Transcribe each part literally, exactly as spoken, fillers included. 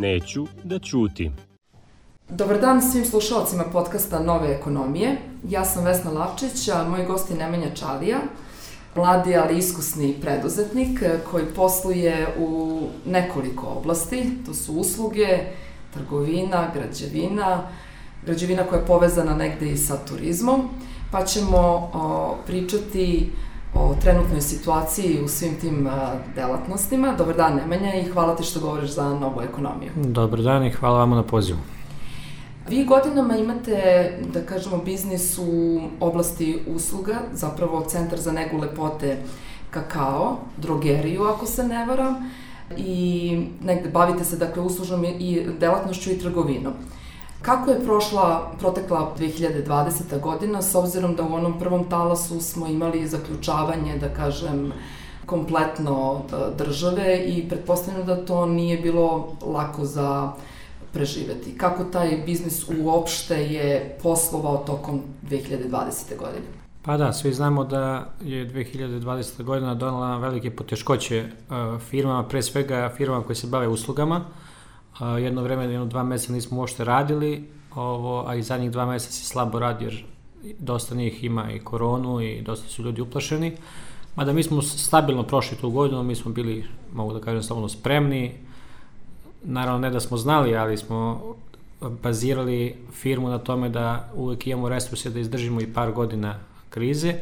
Neću da ćutim. Dobar dan svim slušalcima podcasta Nove ekonomije. Ja sam Vesna Lavčić, a moj gost je Nemanja Čalija, mladi ali iskusni preduzetnik koji posluje u nekoliko oblasti. To su usluge, trgovina, građevina, građevina koja je povezana negde i sa turizmom, pa ćemo o, pričati o trenutnoj situaciji u svim tim a, delatnostima. Dobar dan Nemanja i hvala ti što govoriš za Novu ekonomiju. Dobar dan i hvala vam na pozivu. Vi godinama imate, da kažemo, biznis u oblasti usluga, zapravo centar za negu lepote kakao, drogeriju ako se ne varam, i negde bavite se dakle uslužnom i delatnošću i trgovinom. Kako je prošla, protekla dve hiljade dvadeseta godina, s obzirom da u onom prvom talasu smo imali zaključavanje, da kažem, kompletno države i pretpostavljam da to nije bilo lako za preživeti. Kako taj biznis uopšte je poslovao tokom dve hiljade dvadesete godine? Pa da, svi znamo da je dve hiljade dvadeseta godina donela velike poteškoće uh, firmama, pre svega firmama koje se bave uslugama. Uh, jedno vreme, jedno dva meseca nismo uopšte radili, ovo, a i zadnjih dva meseca se slabo radi jer dosta njih ima i koronu i dosta su ljudi uplašeni. Mada mi smo stabilno prošli tu godinu, mi smo bili, mogu da kažem, slobodno spremni. Naravno, ne da smo znali, ali smo bazirali firmu na tome da uvek imamo resurse da izdržimo i par godina krize.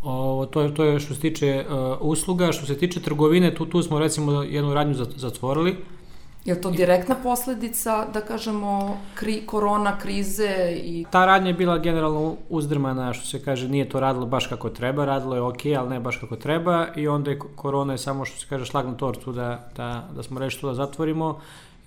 O, to, je, to je što se tiče uh, usluga. Što se tiče trgovine, tu, tu smo recimo jednu radnju zatvorili. Je to direktna posledica, da kažemo, kri, korona, krize? I... Ta radnja je bila generalno uzdrmana, što se kaže, nije to radilo baš kako treba, radilo je ok, ali ne baš kako treba, i onda je korona je samo, što se kaže, šlag na tortu da, da, da smo rešili to da zatvorimo,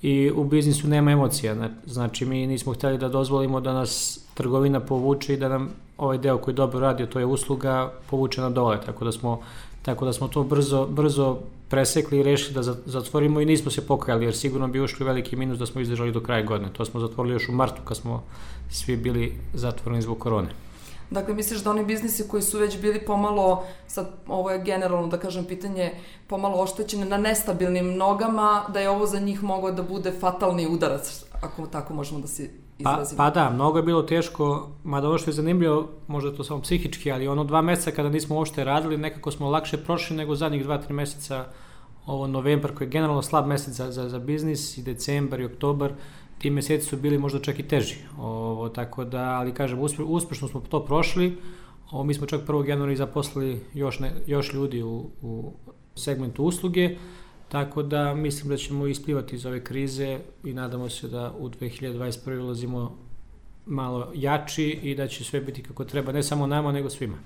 i u biznisu nema emocija. Znači, mi nismo hteli da dozvolimo da nas trgovina povuče i da nam ovaj deo koji dobro radi, to je usluga, povuče na dole, tako da smo Tako da smo to brzo, brzo presekli i rešili da zatvorimo i nismo se pokajali, jer sigurno bi ušli veliki minus da smo izdržali do kraja godine. To smo zatvorili još u martu kad smo svi bili zatvoreni zbog korone. Dakle, misliš da oni biznisi koji su već bili pomalo, sad ovo je generalno, da kažem, pitanje, pomalo oštećene na nestabilnim nogama, da je ovo za njih mogao da bude fatalni udarac, ako tako možemo da se izrazimo? Pa, pa da, mnogo je bilo teško, mada ono što je zanimljivo, možda to samo psihički, ali ono dva meseca kada nismo uopšte radili, nekako smo lakše prošli nego zadnjih dva, tri meseca, ovo novembar koji je generalno slab mesec za, za, za biznis, i decembar i oktobar, ti meseci su bili možda čak i teži. Ovo, tako da, ali kažem, uspe, uspešno smo to prošli. Ovo, mi smo čak prvog januara zaposlili još, ne, još ljudi u, u segmentu usluge, tako da mislim da ćemo isplivati iz ove krize i nadamo se da u dve hiljade dvadeset prve ulazimo malo jači i da će sve biti kako treba, ne samo nama, nego svima.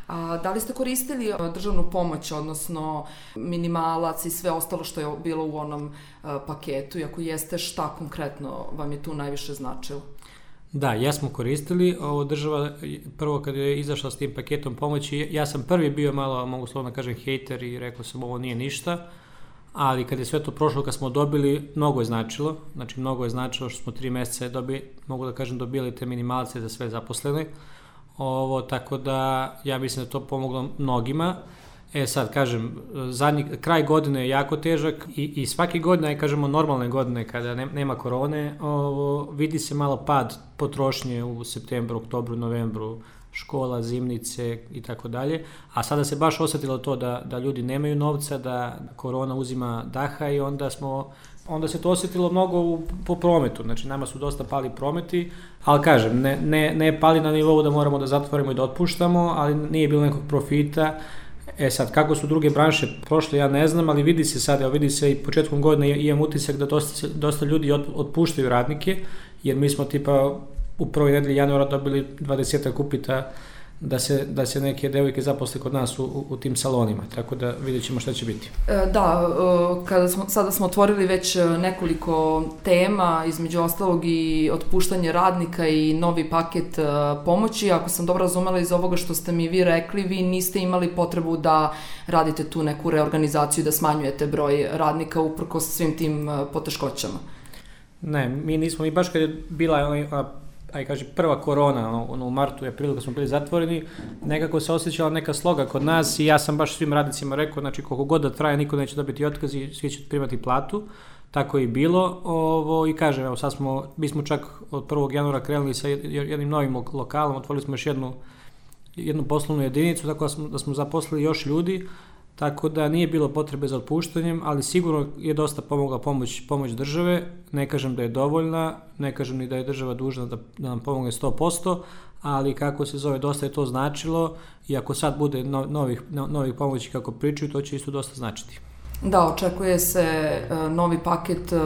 A da li ste koristili državnu pomoć, odnosno minimalac i sve ostalo što je bilo u onom uh, paketu, i ako jeste, šta konkretno vam je tu najviše značilo? Da, ja smo koristili. Ovo država, prvo kad je izašla s tim paketom pomoći, ja sam prvi bio malo, mogu slovno kažem, hejter i rekao sam ovo nije ništa, ali kad je sve to prošlo, kad smo dobili, mnogo je značilo. Znači, mnogo je značilo što smo tri meseca dobili, mogu da kažem, dobili te minimalce za sve zaposlene. Ovo, tako da ja mislim da to pomoglo mnogima. E sad, kažem, zadnji, kraj godine je jako težak i, i svake godine, aj kažemo normalne godine kada ne, nema korone, ovo, vidi se malo pad potrošnje u septembru, oktobru, novembru, škola, zimnice i tako dalje, a sada se baš osetilo to da, da ljudi nemaju novca, da korona uzima daha i onda smo onda se to osetilo mnogo u, po prometu, znači nama su dosta pali prometi, ali kažem, ne, ne, ne pali na nivou da moramo da zatvorimo i da otpuštamo, ali nije bilo nekog profita. E sad, kako su druge branše prošle, ja ne znam, ali vidi se sad, evo vidi se i početkom godine imam utisak da dosta, dosta ljudi otpuštaju radnike, jer mi smo tipa u prvoj nedelji januara dobili dvadesetak upita da se, da se neke devojke zaposle kod nas u, u, u tim salonima, tako da vidjet ćemo šta će biti. Da, kada smo, sada smo otvorili već nekoliko tema, između ostalog i otpuštanje radnika i novi paket pomoći. Ako sam dobro razumela iz ovoga što ste mi vi rekli, vi niste imali potrebu da radite tu neku reorganizaciju, da smanjujete broj radnika uprkos svim tim poteškoćama. Ne, mi nismo, mi baš kad je bila aj kaže prva korona, ono u martu i aprilu kad smo bili zatvoreni, nekako se osjećala neka sloga kod nas i ja sam baš svim radnicima rekao, znači koliko god da traje, niko neće dobiti otkaz i svi će primati platu. tako je i bilo. Ovo, I kažem, evo sad smo, mi smo čak od prvog januara krenuli sa jednim novim lokalom, otvorili smo još jednu, jednu poslovnu jedinicu, tako da smo, da smo zaposlili još ljudi, tako da nije bilo potrebe za otpuštanjem, ali sigurno je dosta pomogla pomoć, pomoć države. Ne kažem da je dovoljna, ne kažem ni da je država dužna da, da nam pomogne sto posto, ali kako se zove, dosta je to značilo i ako sad bude no, novih, no, novih pomoći kako pričaju, to će isto dosta značiti. Da, očekuje se uh, novi paket uh,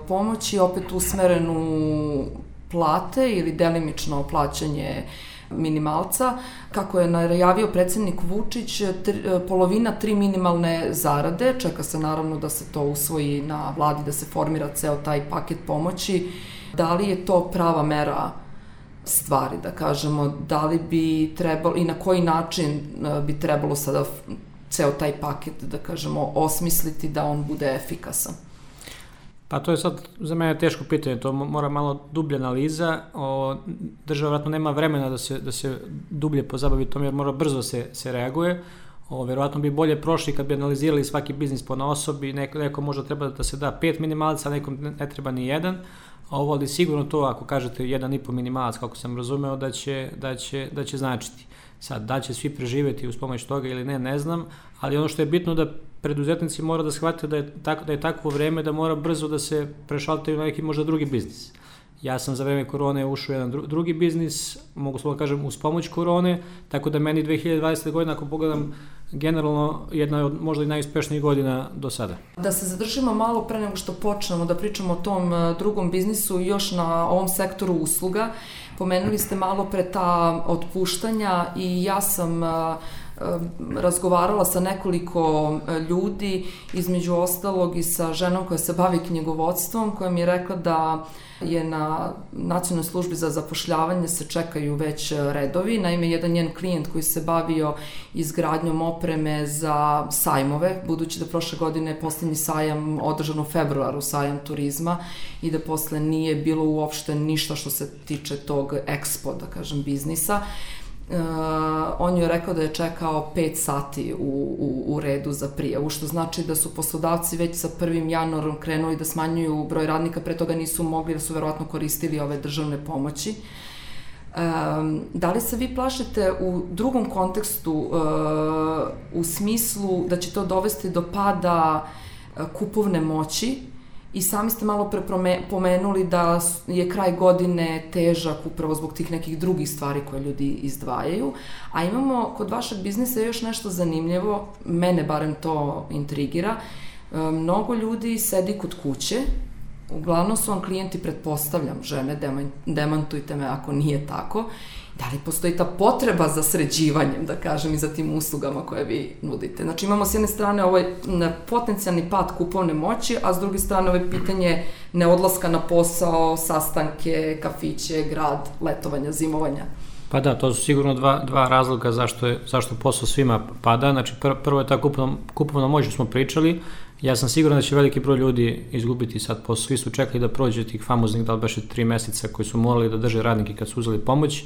pomoći, opet usmeren u plate ili delimično plaćanje minimalca. Kako je najavio predsjednik Vučić, tri, polovina tri minimalne zarade, čeka se naravno da se to usvoji na vladi, da se formira ceo taj paket pomoći. Da li je to prava mera stvari, da kažemo, da li bi trebalo i na koji način bi trebalo sada ceo taj paket, da kažemo, osmisliti da on bude efikasan? Pa to je sad za mene teško pitanje, to mora malo dublja analiza. O, država vjerojatno nema vremena da se, da se dublje pozabavi tom jer mora brzo se, se reaguje. O, vjerojatno bi bolje prošli kad bi analizirali svaki biznis po osobi, neko, neko možda treba da se da pet minimalaca, nekom ne, ne treba ni jedan. Ovo, ali sigurno to, ako kažete jedan i po minimalac, kako sam razumeo, da će, da će, da će značiti. Sad, da će svi preživjeti uz pomoć toga ili ne, ne znam, ali ono što je bitno da preduzetnici mora da shvate da je, tako, da je takvo vreme da mora brzo da se prešaltaju na neki možda drugi biznis. Ja sam za vreme korone ušao u jedan dru, drugi biznis, mogu slobodno kažem uz pomoć korone, tako da meni dve hiljade dvadesete. godina, ako pogledam, generalno jedna od možda i najuspešnijih godina do sada. Da se zadržimo malo pre nego što počnemo da pričamo o tom drugom biznisu, još na ovom sektoru usluga. Pomenuli ste malo pre ta otpuštanja i ja sam razgovarala sa nekoliko ljudi, između ostalog i sa ženom koja se bavi knjigovodstvom, koja mi je rekla da je na Nacionalnoj službi za zapošljavanje se čekaju već redovi. Naime, jedan njen klijent koji se bavio izgradnjom opreme za sajmove, budući da prošle godine je posljednji sajam održan u februaru, sajam turizma, i da posle nije bilo uopšte ništa što se tiče tog ekspo, da kažem, biznisa. Uh, on je rekao da je čekao pet sati u, u, u redu za prijavu, što znači da su poslodavci već sa prvim januarom krenuli da smanjuju broj radnika, pre toga nisu mogli, da su verovatno koristili ove državne pomoći. Um, da li se vi plašite u drugom kontekstu, uh, u smislu da će to dovesti do pada uh, kupovne moći? I sami ste malo pre pomenuli da je kraj godine težak upravo zbog tih nekih drugih stvari koje ljudi izdvajaju, a imamo kod vašeg biznisa još nešto zanimljivo, mene barem to intrigira. Mnogo ljudi sedi kod kuće, uglavnom su vam klijenti, pretpostavljam, žene, demantujte me ako nije tako. Da li postoji ta potreba za sređivanjem, da kažem, i za tim uslugama koje vi nudite? Znači imamo s jedne strane ovaj potencijalni pad kupovne moći, a s druge strane ovaj pitanje neodlaska na posao, sastanke, kafiće, grad, letovanja, zimovanja. Pa da, to su sigurno dva, dva razloga zašto, je, zašto posao svima pada. Znači pr, prvo je ta kupovna, kupovna moć što smo pričali. Ja sam siguran da će veliki broj ljudi izgubiti sad posao. Svi su čekali da prođe tih famoznih, da li beše tri meseca koji su morali da drže radnike kad su uzeli pomoć.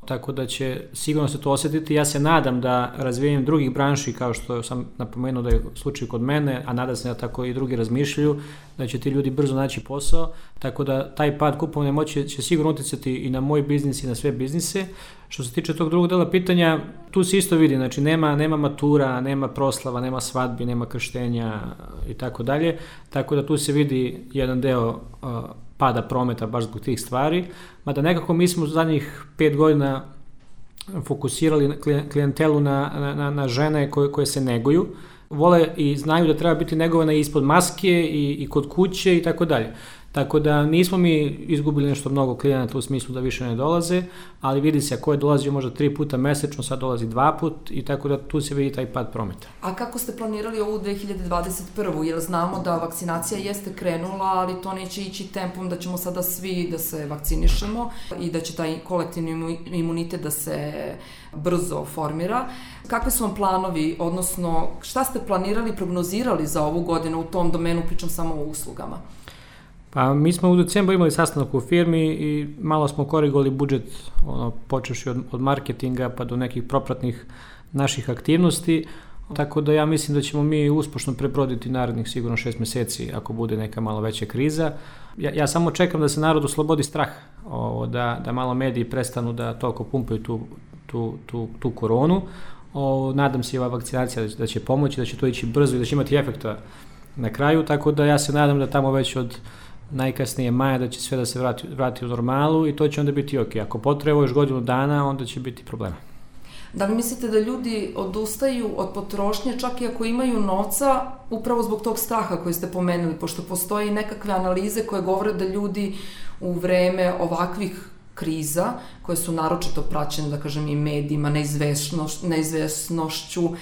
Tako da će sigurno se to osjetiti. Ja se nadam da razvijanjem drugih branši, kao što sam napomenuo da je slučaj kod mene, a nadam se da tako i drugi razmišljaju, da će ti ljudi brzo naći posao, tako da taj pad kupovne moći će sigurno utjecati i na moj biznis i na sve biznise. Što se tiče tog drugog dela pitanja, tu se isto vidi, znači nema, nema matura, nema proslava, nema svadbi, nema krštenja i tako dalje, tako da tu se vidi jedan deo uh, pada prometa baš zbog tih stvari, mada nekako mi smo u zadnjih pet godina fokusirali klijentelu na, na, na žene koje, koje se neguju, vole i znaju da treba biti negovane ispod maske i, i kod kuće i tako dalje. Tako da nismo mi izgubili nešto mnogo klijenata u smislu da više ne dolaze, ali vidi se ako je dolazio možda tri puta mesečno, sad dolazi dva put i tako da tu se vidi taj pad prometa. A kako ste planirali ovu dve hiljade dvadeset prvu? Jer znamo da vakcinacija jeste krenula, ali to neće ići tempom da ćemo sada svi da se vakcinišemo i da će taj kolektivni imunitet da se brzo formira. Kakvi su vam planovi, odnosno šta ste planirali, prognozirali za ovu godinu u tom domenu, pričam samo o uslugama? Pa mi smo u decembru imali sastanak u firmi i malo smo korigovali budžet, ono, počevši od, od marketinga pa do nekih propratnih naših aktivnosti. Tako da ja mislim da ćemo mi uspešno prebroditi narednih sigurno šest meseci ako bude neka malo veća kriza. Ja, ja samo čekam da se narod oslobodi strah, o, da, da malo mediji prestanu da toliko pumpaju tu, tu, tu, tu koronu. O, nadam se i ova vakcinacija da će, da će pomoći, da će to ići brzo i da će imati efekta na kraju, tako da ja se nadam da tamo već od najkasnije maja da će sve da se vrati, vrati u normalu i to će onda biti ok. Ako potreba još godinu dana, onda će biti problema. Da li mislite da ljudi odustaju od potrošnje čak i ako imaju novca upravo zbog tog straha koji ste pomenuli, pošto postoji nekakve analize koje govore da ljudi u vreme ovakvih kriza, koje su naročito praćene, da kažem, i medijima, neizvesnoš, neizvesnošću, uh,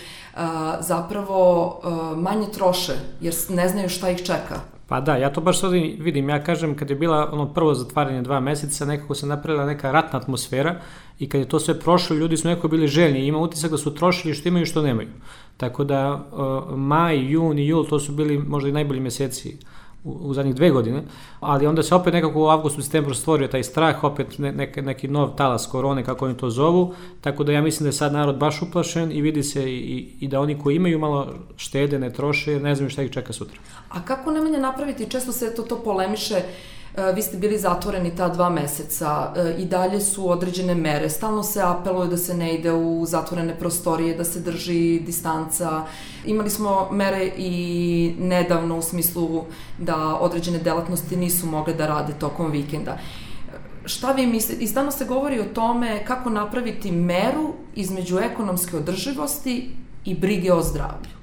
zapravo uh, manje troše, jer ne znaju šta ih čeka. Pa da, ja to baš sad vidim, ja kažem, kad je bila ono prvo zatvaranje dva meseca, nekako se napravila neka ratna atmosfera i kad je to sve prošlo, ljudi su nekako bili željni i ima utisak da su trošili što imaju i što nemaju. Tako da uh, maj, jun i jul, to su bili možda i najbolji meseci u, u zadnjih dve godine, ali onda se opet nekako u avgustu, septembru stvorio taj strah, opet ne, ne, neki nov talas korone, kako oni to zovu, tako da ja mislim da je sad narod baš uplašen i vidi se i, i da oni koji imaju malo štede, ne troše, jer ne znaju šta ih čeka sutra. A kako Nemanja napraviti, često se to, to polemiše, vi ste bili zatvoreni ta dva meseca, i dalje su određene mere, stalno se apeluje da se ne ide u zatvorene prostorije, da se drži distanca. Imali smo mere i nedavno u smislu da određene delatnosti nisu mogle da rade tokom vikenda. Šta vi mislite? I stalno se govori o tome kako napraviti meru između ekonomske održivosti i brige o zdravlju.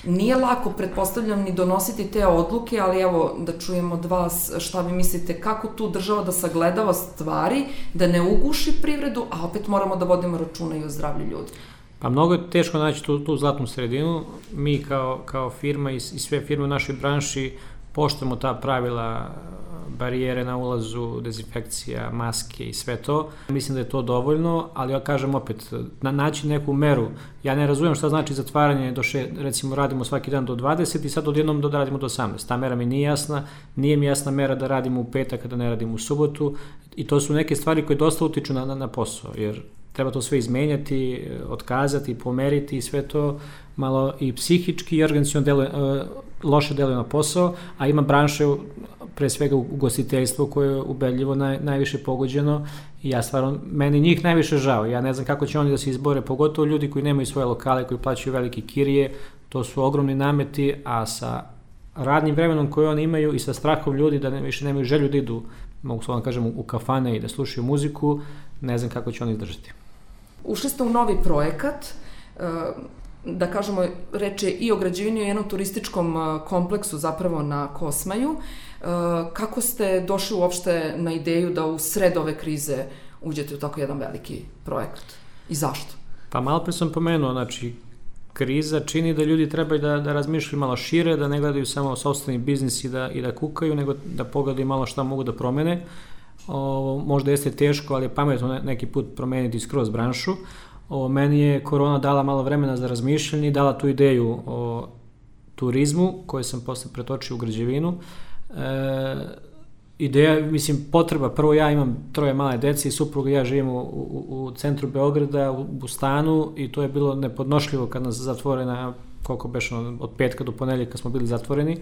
Nije lako, pretpostavljam, ni donositi te odluke, ali evo da čujemo od vas šta vi mislite, kako tu država da sagledava stvari, da ne uguši privredu, a opet moramo da vodimo računa i o zdravlju ljudi. Pa mnogo je teško naći tu, tu zlatnu sredinu. Mi kao, kao firma i, i sve firme u našoj branši poštujemo ta pravila, barijere na ulazu, dezinfekcija, maske i sve to. Mislim da je to dovoljno, ali ja kažem opet, na, naći neku meru. Ja ne razumijem šta znači zatvaranje do še, recimo radimo svaki dan do dvadeset i sad odjednom da radimo do osamnaest. Ta mera mi nije jasna, nije mi jasna mera da radimo u petak kada ne radimo u subotu i to su neke stvari koje dosta utiču na, na, na posao, jer treba to sve izmenjati, otkazati, pomeriti i sve to malo i psihički i organizaciono deluje, loše deluje na posao, a ima branše pre svega ugostiteljstvo koje je ubedljivo naj, najviše pogođeno i ja stvarno, meni njih najviše žao, ja ne znam kako će oni da se izbore, pogotovo ljudi koji nemaju svoje lokale, koji plaćaju velike kirije, to su ogromni nameti, a sa radnim vremenom koje oni imaju i sa strahom ljudi da ne, više nemaju želju da idu, mogu slovno kažem, u kafane i da slušaju muziku, ne znam kako će oni izdržati. Ušli ste u novi projekat, da kažemo, reč je i o građevini i jednom turističkom kompleksu zapravo na Kosmaju. Kako ste došli uopšte na ideju da u sred ove krize uđete u tako jedan veliki projekat i zašto? Pa malo pre sam pomenuo, znači kriza čini da ljudi trebaju da, da razmišljaju malo šire, da ne gledaju samo sopstveni biznis i da, i da kukaju, nego da pogledaju malo šta mogu da promene. O, možda jeste teško, ali je pametno neki put promeniti skroz branšu. O, meni je korona dala malo vremena za razmišljanje i dala tu ideju o turizmu, koju sam posle pretočio u građevinu. E, ideja, mislim, potreba, prvo ja imam troje male dece i supruga i ja živimo u, u, u centru Beograda, u, u stanu i to je bilo nepodnošljivo kad nas zatvore na, koliko beše, od petka do ponedeljka smo bili zatvoreni.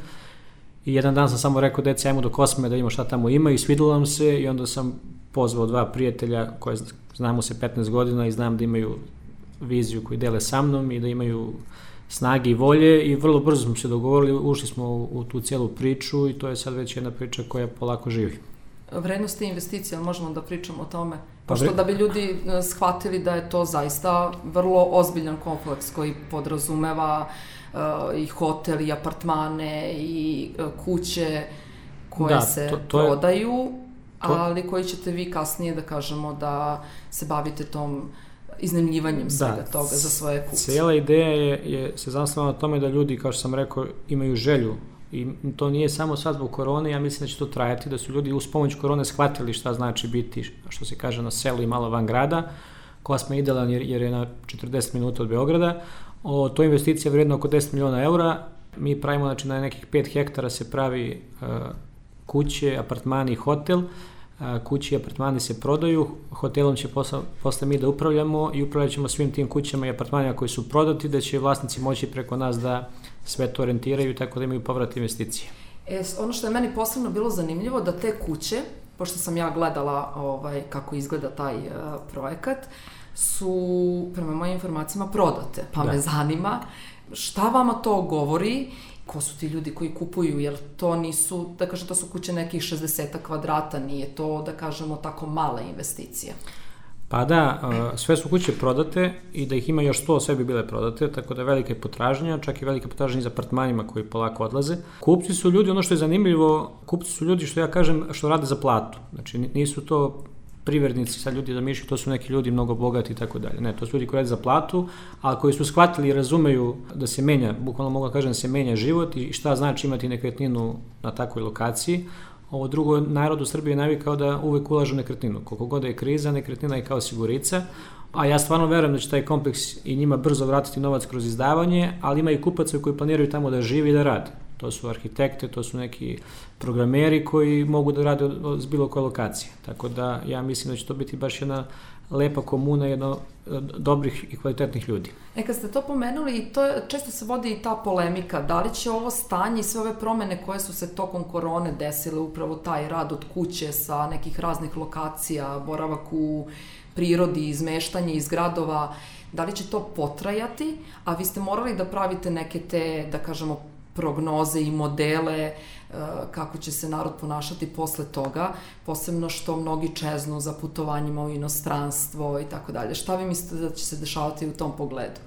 I jedan dan sam samo rekao deci, ajmo do Kosme da imamo šta tamo ima i svidilo nam se i onda sam pozvao dva prijatelja koje znamo se petnaest godina i znam da imaju viziju koju dele sa mnom i da imaju snage i volje i vrlo brzo smo se dogovorili, ušli smo u, u tu cijelu priču i to je sad već jedna priča koja polako živi. Vrednost i investicija, možemo da pričamo o tome? Pošto da bi ljudi shvatili da je to zaista vrlo ozbiljan kompleks koji podrazumeva uh, i hotel, i apartmane, i uh, kuće koje da, se to, to prodaju, je, to... ali koji ćete vi kasnije da kažemo da se bavite tom iznajmljivanjem svega da, toga za svoje kupce. Cijela ideja je, je se zasnovala na tome da ljudi, kao što sam rekao, imaju želju i to nije samo sad zbog korone, ja mislim da će to trajati, da su ljudi uz pomoć korone shvatili šta znači biti, što se kaže, na selu i malo van grada. Kosma je idealan jer, jer je na četrdeset minuta od Beograda. O, to je investicija vredna oko deset miliona eura. Mi pravimo, znači na nekih pet hektara se pravi uh, kuće, apartmani i hotel. Uh, kuće i apartmani se prodaju, hotelom će posle, posle mi da upravljamo i upravljat ćemo svim tim kućama i apartmanima koji su prodati, da će vlasnici moći preko nas da sve to orijentiraju, tako da imaju povrat investicije. E, ono što je meni posebno bilo zanimljivo, da te kuće, pošto sam ja gledala ovaj, kako izgleda taj uh, projekat, su, prema mojim informacijama, prodate. Pa da. Me zanima, šta vama to govori, ko su ti ljudi koji kupuju, jer to nisu, da kažem, to su kuće nekih šezdeset kvadrata, nije to, da kažemo, tako mala investicija. Pa da, sve su kuće prodate i da ih ima još sto, sve bi bile prodate, tako da je velika potražnja, čak i velika potražnja za apartmanima koji polako odlaze. Kupci su ljudi, ono što je zanimljivo, kupci su ljudi, što ja kažem, što rade za platu. Znači nisu to privrednici, sad ljudi zamišljaju, to su neki ljudi mnogo bogati i tako dalje. Ne, to su ljudi koji rade za platu, a koji su shvatili i razumeju da se menja, bukvalno mogu da kažem da se menja život i šta znači imati nekretninu na takvoj lokaciji. Ovo drugo, narod u Srbiji je navikao da uvek ulažu nekretninu. Koliko god je kriza, nekretnina je kao sigurica, a ja stvarno verujem da će taj kompleks i njima brzo vratiti novac kroz izdavanje, ali ima i kupaca koji planiraju tamo da žive i da rade. To su arhitekte, to su neki programeri koji mogu da rade s bilo koje lokacije. Tako da ja mislim da će to biti baš jedna lepa komuna, jedno dobrih i kvalitetnih ljudi. E, kad ste to pomenuli, to je, često se vodi i ta polemika, da li će ovo stanje i sve ove promene koje su se tokom korone desile, upravo taj rad od kuće sa nekih raznih lokacija, boravak u prirodi, izmeštanje iz gradova, da li će to potrajati, a vi ste morali da pravite neke te, da kažemo, prognoze i modele kako će se narod ponašati posle toga, posebno što mnogi čeznu za putovanjima u inostranstvo i tako dalje. Šta vi mislite da će se dešavati u tom pogledu?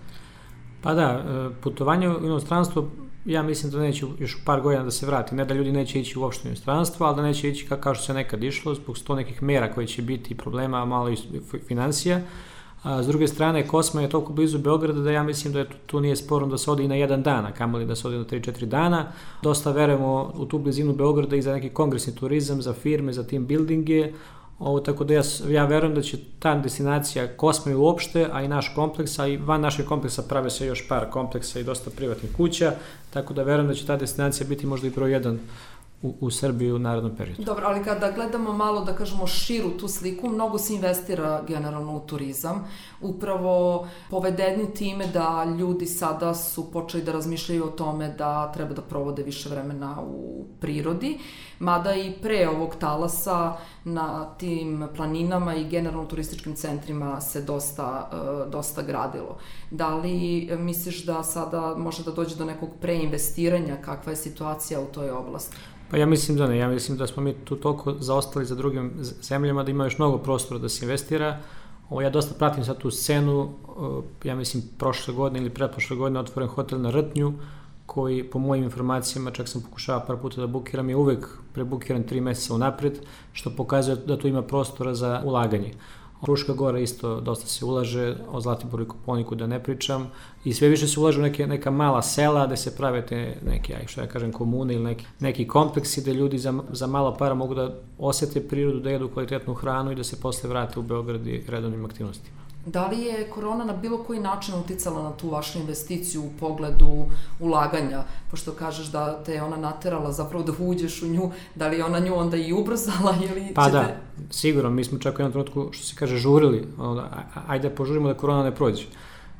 Pa da, putovanje u inostranstvo, ja mislim da neće još par godina da se vrati. Ne da ljudi neće ići uopšte u inostranstvo, ali da neće ići kao što se nekad išlo, zbog sto nekih mera koje će biti problema, malo i financija. A s druge strane, Kosma je toliko blizu Beograda da ja mislim da je tu, tu nije sporno da se ode i na jedan dan, a kamoli da se ode na tri četiri dana. Dosta verujemo u tu blizinu Beograda i za neki kongresni turizam, za firme, za team buildinge. Ovo, tako da ja, ja verujem da će ta destinacija Kosma i uopšte, a i naš kompleks, a i van našeg kompleksa prave se još par kompleksa i dosta privatnih kuća, tako da verujem da će ta destinacija biti možda i broj jedan U, u Srbiji u narednom periodu. Dobro, ali kada gledamo malo, da kažemo, širu tu sliku, mnogo se investira generalno u turizam, upravo povedeni time da ljudi sada su počeli da razmišljaju o tome da treba da provode više vremena u prirodi, mada i pre ovog talasa na tim planinama i generalno turističkim centrima se dosta, dosta gradilo. Da li misliš da sada može da dođe do nekog preinvestiranja, kakva je situacija u toj oblasti? Pa ja mislim da ne, ja mislim da smo mi tu toliko zaostali za drugim zemljama da ima još mnogo prostora da se investira. Ovo, ja dosta pratim sad tu scenu, ja mislim prošle godine ili pretprošle godine otvoren hotel na Rtnju, koji po mojim informacijama, čak sam pokušao par puta da bukiram, je uvek prebukiran tri meseca unapred, što pokazuje da tu ima prostora za ulaganje. Fruška Gora isto dosta se ulaže, o Zlatiboru i Kopaoniku da ne pričam, i sve više se ulaže u neke, neka mala sela gde se prave te neke, aj što ja kažem, komune ili neki, neki kompleksi gde ljudi za, za malo para mogu da osete prirodu, da jedu kvalitetnu hranu i da se posle vrate u Beograd i redovnim aktivnostima. Da li je korona na bilo koji način uticala na tu vašu investiciju u pogledu ulaganja, pošto kažeš da te je ona naterala zapravo da uđeš u nju, da li je ona nju onda i ubrzala ili pa ćete... Pa da, sigurno, mi smo čak u jednom trenutku, što se kaže, žurili, ajde požurimo da korona ne prođe.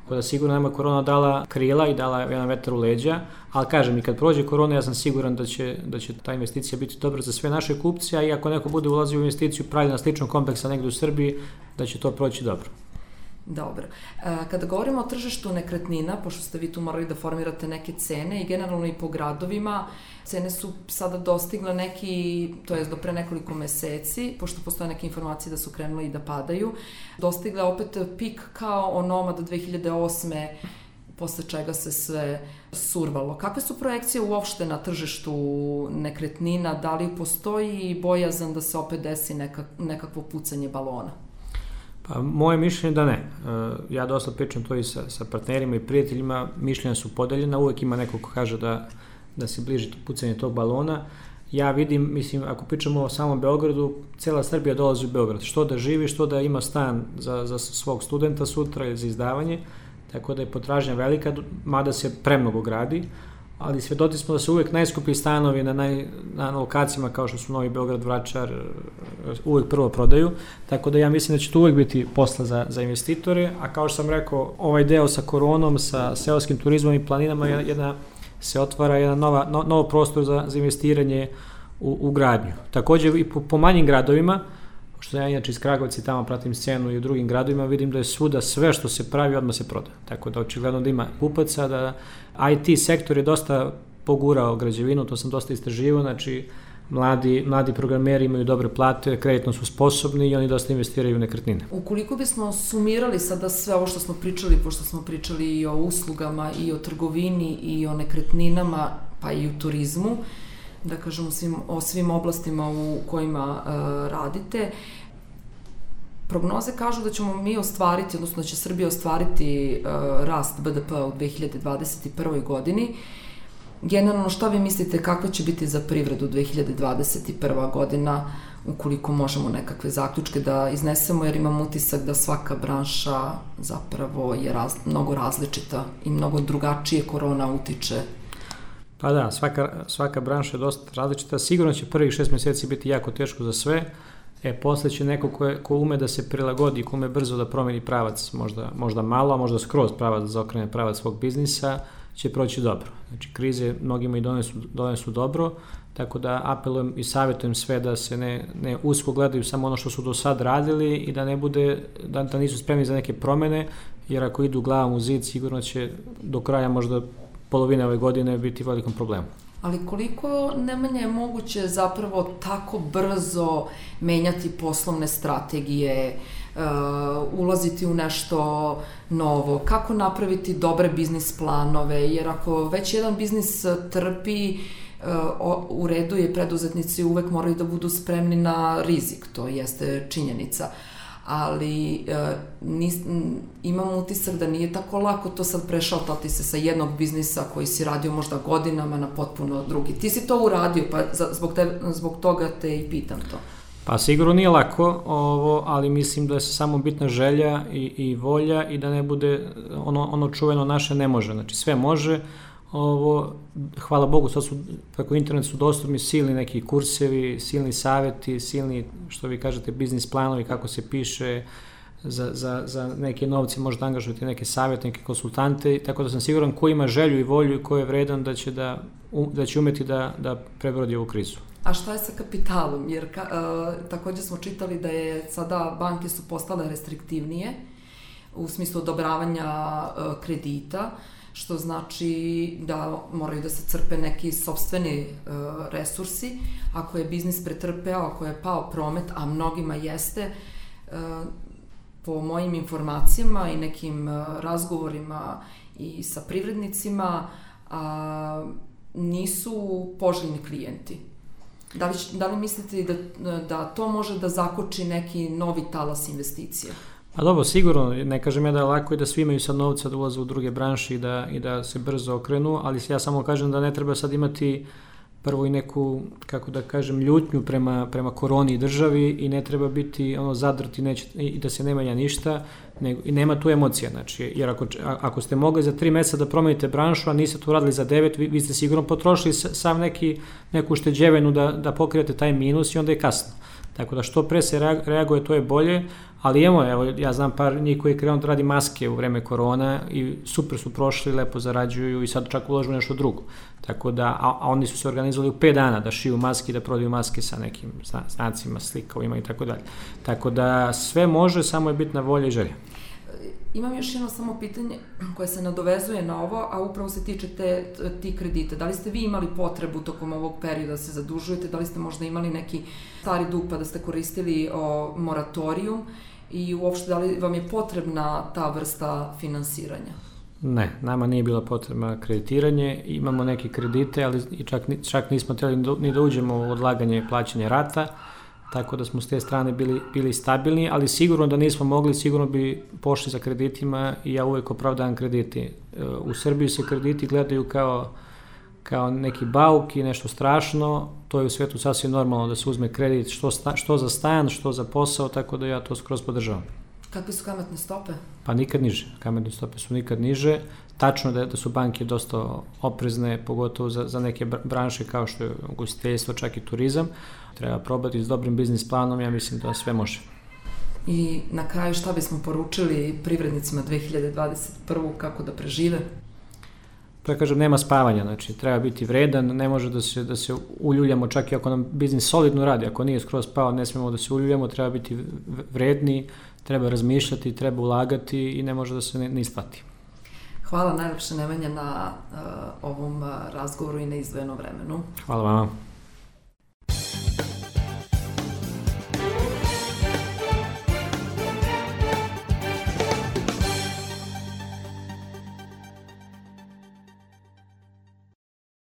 Da sigurno nama korona dala krila i dala jedan vetar u leđa, ali kažem, i kad prođe korona, ja sam siguran da će, da će ta investicija biti dobra za sve naše kupce, a i ako neko bude ulazio u investiciju pravi na sličnom kompleksa negde u Srbiji, da će to proći dobro. Dobro. Kada govorimo o tržištu nekretnina, pošto ste vi tu morali da formirate neke cene i generalno i po gradovima, cene su sada dostigle neki, to jest do pre nekoliko meseci, pošto postoje neke informacije da su krenule i da padaju, dostigle opet pik kao onomad dve hiljade osme, posle čega se sve survalo. Kakve su projekcije uopšte na tržištu nekretnina? Da li postoji bojazan da se opet desi neka, nekakvo pucanje balona? Pa, moje mišljenje da ne. Ja dosta pričam to i sa, sa partnerima i prijateljima, mišljenja su podeljena, uvek ima neko ko kaže da, da se bliži pucanje tog balona. Ja vidim, mislim, ako pričamo o samom Beogradu, cela Srbija dolazi u Beograd, što da živi, što da ima stan za, za svog studenta sutra ili za izdavanje, tako da je potražnja velika, mada se premnogo gradi. ali svjedoci smo da su uvijek najskuplji stanovi na, naj, na lokacijama kao što su Novi Beograd, Vračar, uvijek prvo prodaju, tako da ja mislim da će to uvijek biti posla za, za investitore, a kao što sam rekao, ovaj deo sa koronom, sa seoskim turizmom i planinama, jedna, se otvara jedan nova, no, novo prostor za, za investiranje u, u gradnju. Također i po, po manjim gradovima, što ja inače iz Kragovca i tamo pratim scenu i u drugim gradovima, vidim da je svuda sve što se pravi odmah se proda. Tako da očigledno da ima kupaca, da I T sektor je dosta pogurao građevinu, to sam dosta istraživao, znači mladi, mladi programeri imaju dobre plate, kreditno su sposobni i oni dosta investiraju u nekretnine. Ukoliko bismo sumirali sada sve ovo što smo pričali, pošto smo pričali i o uslugama, i o trgovini, i o nekretninama, pa i u turizmu, da kažemo svim, o svim oblastima u kojima uh, radite, prognoze kažu da ćemo mi ostvariti, odnosno da će Srbija ostvariti uh, rast B D P-a u dve hiljade dvadeset prvoj godini. Generalno, šta vi mislite kakva će biti za privredu dve hiljade dvadeset prva godina, ukoliko možemo nekakve zaključke da iznesemo, jer imam utisak da svaka branša zapravo je raz, mnogo različita i mnogo drugačije korona utiče. Pa da, svaka, svaka branša je dosta različita. Sigurno će prvih šest mjeseci biti jako teško za sve. E, posle će neko ko, je, ko ume da se prilagodi, ko ume brzo da promeni pravac, možda, možda malo, a možda skroz pravac da zaokrene pravac svog biznisa, će proći dobro. Znači, krize mnogima i donesu, donesu dobro, tako da apelujem i savjetujem sve da se ne, ne usko gledaju samo ono što su do sad radili i da ne bude, da, da nisu spremni za neke promene, jer ako idu glavom u zid, sigurno će do kraja možda polovine ove godine biti velikom problemu. Ali koliko, Nemanja, je moguće zapravo tako brzo menjati poslovne strategije, uh, ulaziti u nešto novo, kako napraviti dobre biznis planove, jer ako već jedan biznis trpi, uh, u redu je, preduzetnici uvek moraju da budu spremni na rizik, to jeste činjenica. Ali e, nis, imam utisak da nije tako lako to sad prešaltati se sa jednog biznisa koji si radio možda godinama na potpuno drugi. Ti si to uradio, pa za, zbog, te, zbog toga te i pitam to. Pa sigurno nije lako, ovo, ali mislim da je samo bitna želja i, i volja i da ne bude ono, ono čuveno naše ne može. Znači sve može. Ovo, hvala Bogu, sad su, preko interneta su dostupni silni neki kursevi, silni savjeti, silni, što vi kažete, biznis planovi, kako se piše, za, za, za neke novce možete angažovati neke savjetnike, konsultante, tako da sam siguran ko ima želju i volju i ko je vredan da će, da, da će umeti da, da prebrodi ovu krizu. A šta je sa kapitalom? Jer ka, uh, također smo čitali da je sada banke su postale restriktivnije u smislu odobravanja uh, kredita, što znači da moraju da se crpe neki sopstveni uh, resursi. Ako je biznis pretrpeo, ako je pao promet, a mnogima jeste, uh, po mojim informacijama i nekim uh, razgovorima i sa privrednicima, uh, nisu poželjni klijenti. Da li, da li mislite da, da to može da zakoči neki novi talas investicija? A dobro, sigurno, ne kažem ja da je lako i da svi imaju sad novca da ulaze u druge branše i da, i da se brzo okrenu, ali ja samo kažem da ne treba sad imati prvo i neku, kako da kažem, ljutnju prema, prema koroni i državi i ne treba biti ono zadrti neće, i da se ne menja ništa, nego, i nema tu emocija, znači, jer ako, ako ste mogli za tri mjeseca da promenite branšu, a niste to uradili za devet, vi, vi ste sigurno potrošili sam neki, neku ušteđevinu da, da pokrijete taj minus i onda je kasno. Tako da što pre se reaguje, to je bolje, ali evo, evo ja znam par njih koji je krenuo da radi maske u vreme korona i super su prošli, lepo zarađuju i sad čak ulažu nešto drugo. Tako da, a, a oni su se organizovali u pet dana da šiju maske i da prodaju maske sa nekim znacima, slikovima i tako dalje. Tako da sve može, samo je bitna volja i želja. Imam još jedno samo pitanje koje se nadovezuje na ovo, a upravo se tiče te, ti kredite. Da li ste vi imali potrebu tokom ovog perioda da se zadužujete? Da li ste možda imali neki stari dug pa da ste koristili o, moratorijum? I uopšte, da li vam je potrebna ta vrsta finansiranja? Ne, nama nije bilo potrebno kreditiranje. Imamo neke kredite, ali čak, čak nismo htjeli ni da uđemo u odlaganje plaćanja rata. Tako da smo s te strane bili, bili stabilni, ali sigurno da nismo mogli, sigurno bi pošli za kreditima i ja uvijek opravdavam krediti. U Srbiji se krediti gledaju kao, kao neki bauk i nešto strašno, to je u svijetu sasvim normalno da se uzme kredit što, sta, što za stan, što za posao, tako da ja to skroz podržavam. Kakve su kamatne stope? Pa nikad niže. Kamatne stope su nikad niže. Tačno da, da su banke dosta oprezne, pogotovo za, za neke branše kao što je ugostiteljstvo, čak i turizam. Treba probati s dobrim biznis planom, ja mislim da sve može. I na kraju šta bismo poručili privrednicima dve hiljade dvadeset prve. kako da prežive? To ja kažem, nema spavanja, znači treba biti vredan, ne može da se, da se uljuljamo čak i ako nam biznis solidno radi, ako nije skroz pao, ne smemo da se uljuljamo, treba biti vredni, treba razmišljati, treba ulagati i ne može da se ne, ne isplati. Hvala najlepše Nemanja na uh, ovom uh, razgovoru i na izdvojenom vremenu. Hvala vama.